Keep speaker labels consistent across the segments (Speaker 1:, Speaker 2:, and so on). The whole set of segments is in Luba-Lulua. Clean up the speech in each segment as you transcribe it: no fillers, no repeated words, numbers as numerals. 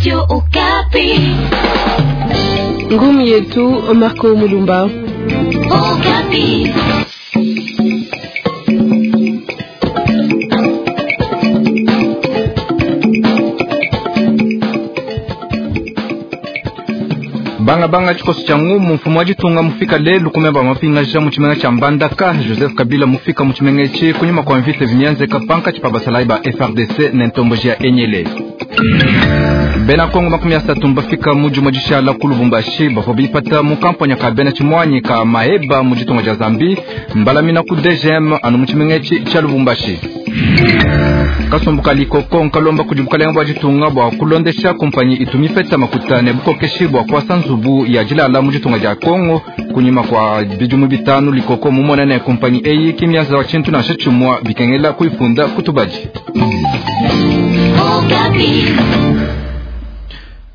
Speaker 1: Radio Okapi.
Speaker 2: Ngumi yetu Marco Mulumba.
Speaker 1: Okapi.
Speaker 3: Bangabanga tshikoso tshia ngumu mfumu wa ditunga mufika lelu kumeba mapingaja mu tshimenga tshia Mbandaka. Joseph Kabila mufika mu tshimenga etshi kunyima kua mvita vimianzeka pankatshi pa basalayi ba FARDC ne ntomboji ya Enyele. Bena Kongo 30 mbafika mu dimue dishala ku Lubumbashi bavua bipata mu kampanya ka bena tshimuanyi ka Maeba mu ditunga dia Zambie mbalamina ku DGM anu mu tshimenga etshi tshia Lubumbashi. Kasumbu ka Likoko nkalomba kudi bukalenga bua ditunga bua kulondesha kumpanyi itu mipeta makuta ne bukokeshi bua kuasa nzubu ya dilala mu ditunga dia Kongo. Kunyima kua bidimu 5 Likoko mumone ne kumpanyi eyi ki mianza wa tshintu nansha tshimua bikengela kuifunda kutubadi.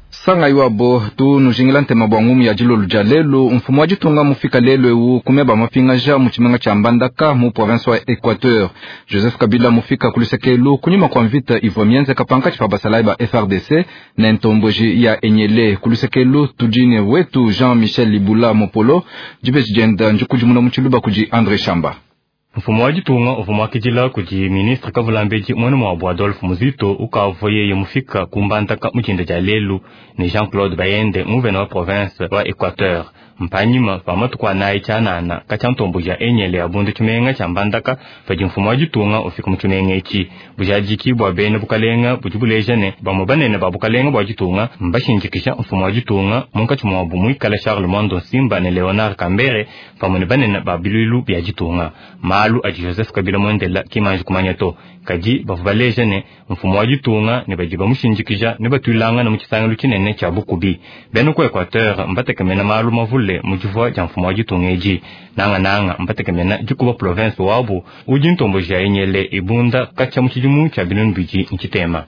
Speaker 3: Sanga iwabo tu nujingila ntema bua ngumu ya dilolo dia lelu. Mfumu wa ditunga mufika lelu ewu kumeba mapingaja mu tshimenga tshia Mbandaka mu province wa Equateur. Joseph Kabila mufika kulusekelu kunyima kua mvita ivua mienzeka pankatshi pa basalayi ba FARDC ne ntomboji ya Enyele. Kulusekelu tudi ne wetu Jean-Michel Libula Mopolo dibeji dienda ndikudimuna mu tshiluba kudi André Shamba.
Speaker 4: Mfumu wa ditunga uvua muakidila kudi ministre Kavulambedi muena muabu Adolphe Muzito ukavua yeye mufika ku Mbandaka mu dinda dia lelu ne Jean-Claude Bayende nguvena wa province wa Equateur. Mpanyima pa matuku anayi tshianana katshia ntomboji ya Enyele ya bundu tshimenga tshia Mbandaka padi mfumu wa ditunga ufika mu tshimenga etshi. Bujadiki bua bena bukalenga budi buleja ne bamue banene ba bukalenga bua ditunga mbashindikisha mfumu wa ditunga munkatshi muabu muikala Charles Mwando Nsimba ne Leonard Kambere pamue ne banene ba biluilu bia ditunga. Malu adi Joseph Kabila muendela kimanji kumanya to kadi bavua baleja ne mfumu wa ditunga ne badi bamushindikisha ne batuilangana mu tshisangilu tshinene tshia bukubi. Bena ku Equateur mbatekemena malu mavule mu divua dia mfumu wa ditunga edi. Nangananga mbatekemena dikuba province wabu udi ntomboji ya Enyele ibunda katshia mu tshidimu tshia binunu bidi ntshitema.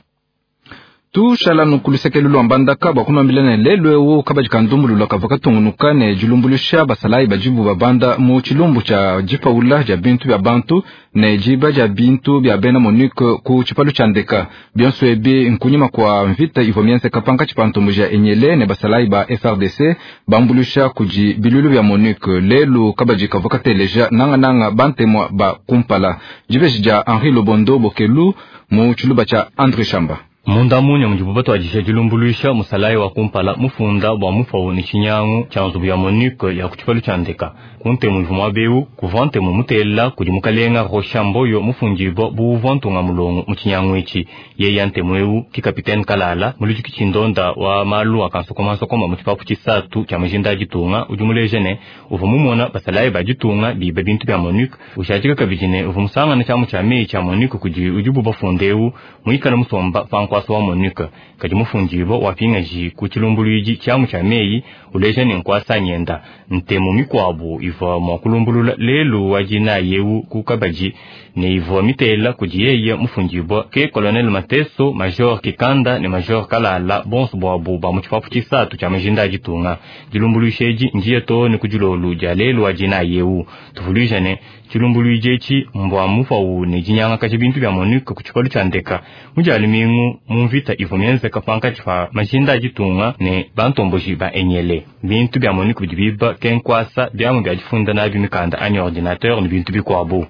Speaker 3: Tushala nukuluseke lwa Mbandaka bua kunuambila ne lelu ewu kabadi ka ndumbulula kavua katungunuka ne dilumbuluisha basalayi badibu babanda mu tshilumbu tshia dipaula dia bintu bia bantu ne diba dia bintu bia bena MONUC ku tshipalu tshia ndeka. Bionso ebi nkunyima kua mvita ivua mienzeka pankatshi pa ntomboji ya Enyele ne basalayi ba FARDC bambuluisha kudi biluilu bia MONUC. Lelu kabadi kavua kateleja nangananga bantemua ba kumpala. Dibeji dia Henri Lobondo Bokelu mu tshiluba tshia André Shamba.
Speaker 4: Munda munya mudibu batuadija dilumbuluisha musalayi wa kumpala mufunda bua mufawu ne tshinyangu tshia nzubu ya MONUC ya ku tshipalu tshia ndeka. Ku ntemu ivua muaba ewu kuvua ntemu mutela kudi mukalenga Rocha Mboyo mufundibua bu uvua ntunga mulongo mu tshinyangu etshi. Yeya ntemu ewu ki kapitene Kalala muludiki tshindonda wa malu a kansokomansokoma mu tshipapu tshisatu tshia majinda a ditunga udi muleja ne uvua mumona basalayi ba ditunga biba bintu bia MONUC. Ushadika kabidi ne uvua musangana tshiamu tshia meyi tshia MONUC kudi udibu bafunda ewu muikala musomba pa nkuasa wa MONUC. Kadi mufundibua wapingaji ku tshilumbuluidi tshiamu tshia meyi uleja ne nkuasa nyenda. Ntemu mikuabu ivua mua kulumbulula lelu wa dinayi ewu ku kabadi ne ivua mitela kudi yeye mufundibua ke Colonel Mateso, Major Kikanda ne Major Kalala bonso buabu ba mu tshipapu tshisatu tshia majinda a ditunga. Dilumbuluisha edi ndiye too ne ku dilolu dia lelu wa dinayi ewu. Tuvuluija ne tshilumbuluidi etshi mbua mufawu ne dinyangakaja bintu bia MONUC ku tshipalu tshia ndeka mu dia lumingu mu mvita ivua mienzeka pankatshi pa majinda a ditunga ne bantomboji ba Enyele. Bintu bia MONUC bidi biba ke nkuasa biamu bia difunda nabi mikanda anyi ordinateur ne bintu bikuabu.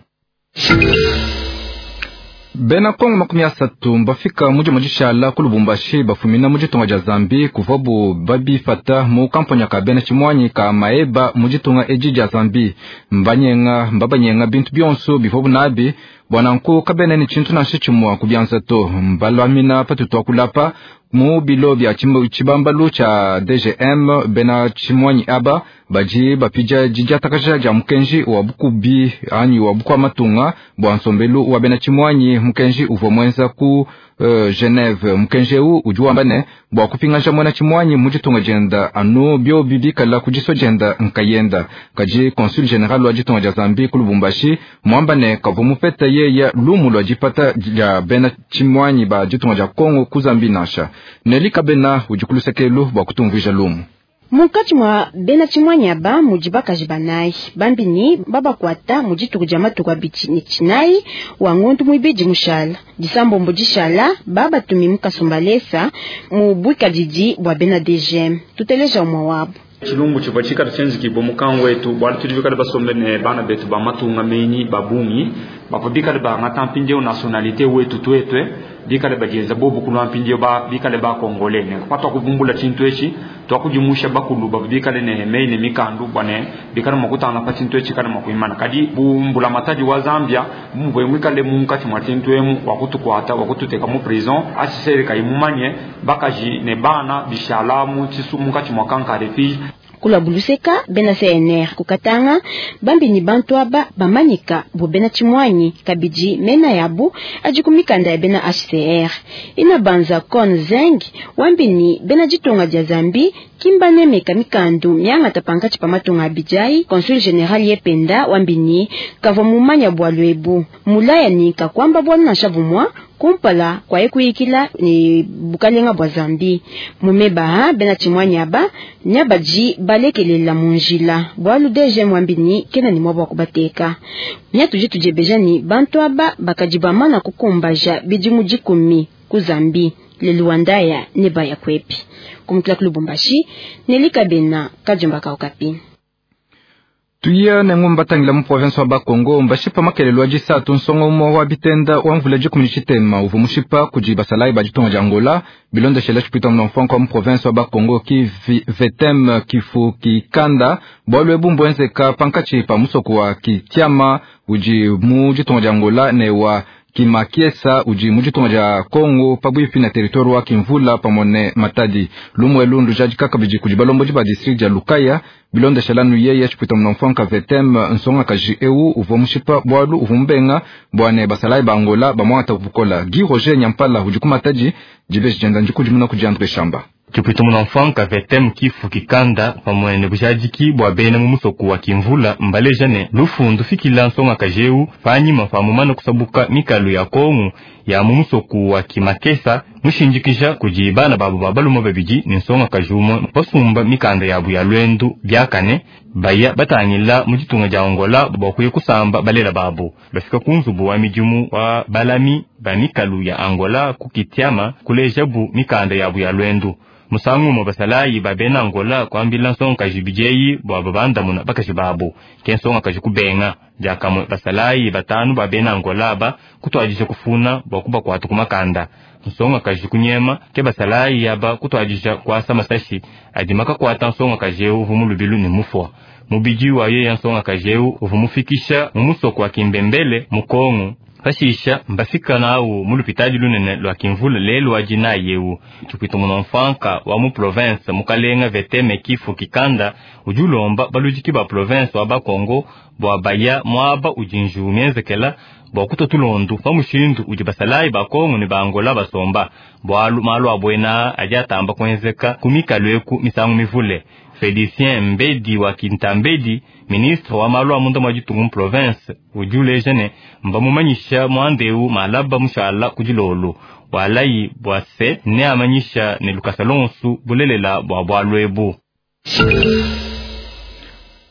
Speaker 3: Bena Kongo 30 mbafika mu dimue dishala ku Lubumbashi bafumina mu ditunga dia Zambie kuvuabu babifata mu kampanya ka bena tshimuanyi ka Maeba mu ditunga edi dia Zambie. Mbanyenga mbabanyenga bintu bionso bivuabu nabi bua nanku kabena ne tshintu nansha tshimue ku bianza to. Mbalamina patutu akulapa mu bilo bia tshibambalu tshia DGM. Bena tshimuanyi aba badi bapidia didiatakaja dia mukenji wa bukubi anyi wa bukua matunga bua nsombelu wa bena tshimuanyi. Mukenji uvua muenza ku Geneve. Mukenji ewu udi wamba ne bua kupingaja muena tshimuanyi mu ditunga dienda anu biobi bikala ku diso dienda nkayenda. Kadi consul general wa ditunga dia Zambie ku Lubumbashi muamba ne kavua mupeta yeya lumu lua dipata dia bena tshimuanyi ba ditunga dia Kongo ku Zambie nansha. Neli Kabena udi ku lusekelu bua kutumvuija lumu.
Speaker 5: Munkatshi mua bena tshimuanyi aba mudi bakaji banayi bambi ne babakuata mu dituku dia matuku 29 wa ngondu muibidi mushala disambombo dishala babatumi mu Kasumbalesa mu buikadidi bua bena DGM. Tuteleja umue wabu.
Speaker 6: Tshilumbu tshivua tshikala tshienzekibua mukangu wetu bualu tudi bikale basombe ne bana betu ba matunga menyi ba bungi bavua bikale bangata mpindieu nationalité wetu tuetue bikale badienza bobu kulua mpindieu ba bikale ba congolais ne patuakuvumbula tshintu etshi tuakudimusha bakulu bavua bikale ne meyi ne mikandu bua ne bikale mua kutanga pa tshintu etshi kale mua kuimana kadi bu mbulamatadi wa Zambia muvue muikale munkatshi mua tshintu emu wa kutukuata wa kututeka mu prison HCR kayi mumanye bakaji ne bana bishala mu tshisu munkatshi mua camp ka refuge.
Speaker 5: Kula buluseka bena CNR kukatanga bambi ni bantu aba bamanyika bu bena tshimuanyi kabidi mena yabu adi ku mikanda ya bena HCR ina banza kon zeng wambi ni bena ditunga dia Zambi kimbanemeka mikandu miangata pankatshi pa matunga abidjai. Consul general yependa wambi ni kavua mumanya bua lwebu mulaya ni kakwamba bwana nansha bumwa kumpala kwa ekuyikila ni bukalenga bwa Zambi mumeba bena tshimuanyi aba nyabaji balekelela munjila bwalu DG mwambini kena ni mwabwa kubateka nyatuji tujebeja ni bantu aba bakaji bamana kukumbaja bidimu 10 ku Zambi leluandaya ne baya kwepi kumukila ku Lubumbashi nelikabena kajumba ka Okapi.
Speaker 3: Tuya ne ngumba tangila mu province wa Bakongo mbashipa makelelo ajisatu nsongo umo wa bitenda wa mvula 18 uvu mushipa kudi basalayi ba ditunga dia Angola bilondeshela tshipita mfranco wa mu province wa Bakongo ki vetem kifu kikanda bwalu ebu mbwenzeka pankatshi pa musoko wa Kitiama udi mu ditunga dia Angola ne wa Kimakiesa udi mu ditunga dia Kongo pabuipi na territoire wa Kimvula pamone Matadi lumwe lundu jadika kabidi kudi balombodi ba district dia Lukaya bilondeshela yeye tshipita mfranco vetem nsonga kaji eu uvua mushipa bwalu uvua mbenga bwane basalayi ba Angola bamwata kubukola. Guy Roger Nyampala udi ku Matadi dibeji dienda ndikudimuna kudi Andre Shamba.
Speaker 4: Tshipita mfranco vetem kifu kikanda pamwe ne bujadiki bua bena mu musoko wa Kimvula mbaleja ne lufundu fikila nsonga kajeu panyima pa mumana kusabuka mikalu ya Kongo ya mu musoko wa Kimakesa mushindikija kudi bana babu ba balume babidi ne nsonga kajumwe basumba mikanda yabu ya lwendu byakane baya batangila mu ditunga dia Angola bua kuya kusamba balela babu bafika ku nzubu wa midimu wa balami ba mikalu ya Angola ku Kitiama kulejabu mikanda yabu ya lwendu. Musangu mo basalayi ba bena Angola kwambila nsonga kaji bijeyi bua babandamuna bakaji babu ke nsonga kaji kubenga diakamwe basalayi batanu ba bena Angola ba kutwadisha kufuna bua kubakwata kumakanda nsonga kaji kunyema ke basalayi aba kutwadisha kwasa masashi adi makakwata nsonga kaji eu uvu mulubilu ne mufwa mubidi wa yeya nsonga kaji eu uvu mufikisha mu musoko wa Kimbembele mu Kongo. Pashisha mbafika nawu mu lupitadi lunene lwa Kimvula lelu wa dina yewu tshipita mfranka wa mu province mukalenga veteme kifu kikanda udi ulomba baludiki ba province wa Bakongo bua baya muaba udi nju mienzekela bua kuta tulondu pa mushindu udi basalayi ba Kongo ne ba Angola basomba bualu malu abuena adi atamba kuenzeka ku mikalu eku misangu mivule. Felicien Mbedi wa Kintambedi, ministre wa malu a munda mwa ditunga mu province, udi uleja ne mbamumanyisha muandeu malaba mushala ku dilolo walayi bua se ne amanyisha ne lukasa lonsu bulelela bua bualu ebu.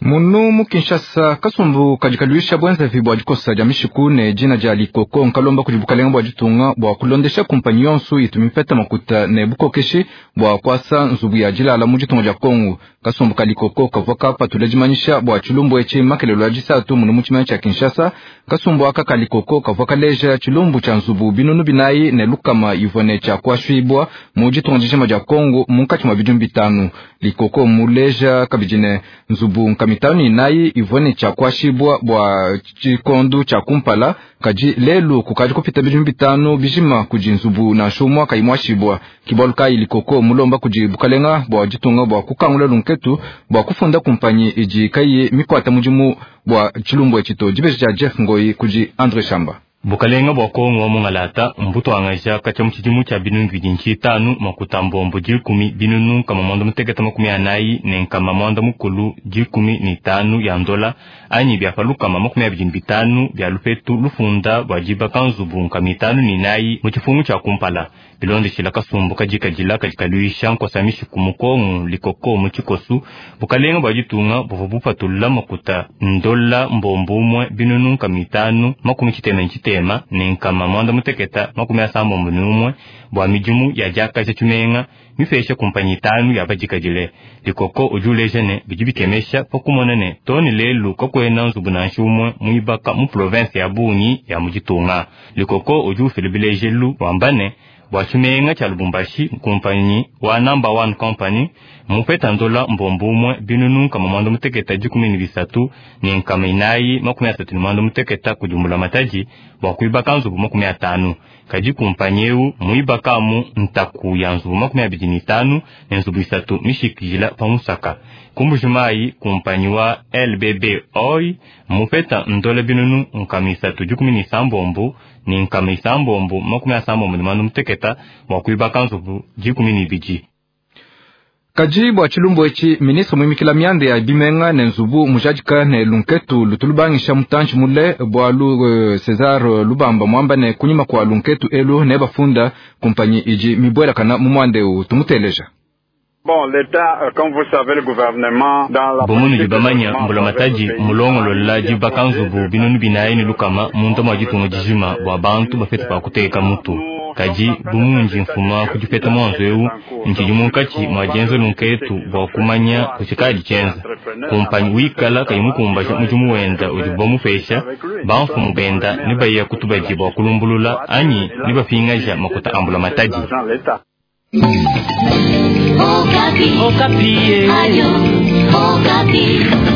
Speaker 3: Munu mu Kinshasa kasumbu kadikaluisha bwenzevi bua dikosa dia mishiku ne dina dia likoko nkalomba kudi bukalenga bua ditunga bua kulondesha kumpanyi yonso itu mipeta makuta ne bukokeshi bua kuasa nzubu ya dilala mu ditunga dia Kongo. Kasumbu ka likoko kavua kapatula dimanyisha bua tshilumbu etshi makelelo ya disatu munu mu tshimanya tshia Kinshasa. Kasumbu aka ka likoko kavua kaleja tshilumbu tshia nzubu 400 ivua ne tshia kuashibua mu ditunga dijima dia Kongo munkatshi mua bidimu 5. Likoko muleja kabidi ne nzubu 54 ivua ne tshia kuashibua bua tshikondu tshia kumpala kadi lelu kukadi kupita bidimu 5 bijima kudi nzubu nansha umue kayi muashibua. Kibalu kayi likoko mulomba kudi bukalenga bua ditunga bua kukangula lunketu bua kufunda kumpanyi idi kayi mikwata mudimu bua tshilumbu etshi to. Dibeji dia Jeff Ngoi kudi Andre Shamba.
Speaker 4: Bukalenga bua Kongo wa mungalata mbuto angaja kacha muchidimu cha 2025 makuta mbombo 10 binunu kama 194 ne nkama 115 ya ndola anyi bya paluka 25 bya lupetu lufunda bwa jiba kanzubu nkama 54 mu chifungu cha kumpala. Bilondeshila kasumbu kadikadila kadi kaluisha nkosa mishiku mu Kongo likoko mu tshikosu, bukalenga bua ditunga buvua bupatula makuta ndola mbombo umue binunu nkama itanu makumi tshitema ne tshitema ne nkama mwanda muteketa makumi asambombo ne umue bua midimu ya diakaja tshimenga mipesha kumpanyi itanu ya badikadile. Likoko udi uleja ne bidi bikemesha pa kumona ne too ne lelu kakuena nzubu nansha umue muibaka mu province ya bungi ya mu ditunga. Likoko udi ufila bilejelu wamba ne bua tshimenga tshia Lubumbashi kumpanyi wa Number One Company mupeta ndola mbombo umue binunu nkama mwanda muteketa dikumi ne bisatu ne nkama inayi makumi asatu ne mwanda muteketa kudi mbulamatadi bua kuibaka nzubu makumi atanu. Kadi kumpanyi eu muibakamu ntaku ya nzubu makumi abidi ne itanu ne nzubu isatu mishikijila pa musaka. Ku Mbujimayi kumpanyi wa LBB Oil mupeta ndola binunu nkama isatu dikumi ne isambombo ne nkama isambombo makumi asambombo ne mwanda muteketa bua kuibaka nzubu dikumi ne ibidi.
Speaker 3: Kadi bua tshilumbu etshi, ministre muimikila mianda ya bimenga ne nzubu mujadika ne lunketu lutu lubangisha mutantshi mule bualu Cesar Lubamba muamba ne kunyima kua lunketu elu ne bafunda kumpanyi idi mibuelakana mu muanda eu. Tumuteleja.
Speaker 7: Bon, l'État, comme vous savez, le gouvernement, dans la
Speaker 4: Bu munudi
Speaker 7: politique de
Speaker 4: bamanya
Speaker 7: logement
Speaker 4: mbulamatadi
Speaker 7: avec le pays,
Speaker 4: mulongolola dibaka nzubu binunu binayi ne lukama munda mua ditunga dijima bua bantu bapete pa kuteka mutu. Kadi bu mundi mfuma ku dipeta muanzu eu ntshidi munkatshi mua dienza lunketu bua kumanya kutshikadi tshienza. Kumpanyi wikala kayi mukumbaja mudimu wenda udibu bamupesha, bamfumu benda ne baya kutubadi bua kulumbulula anyi ne bapingaja makuta a mbulamatadi.
Speaker 7: l'argent l'État.
Speaker 1: Okapi.
Speaker 2: Okapi.
Speaker 1: Ayo, Okapi.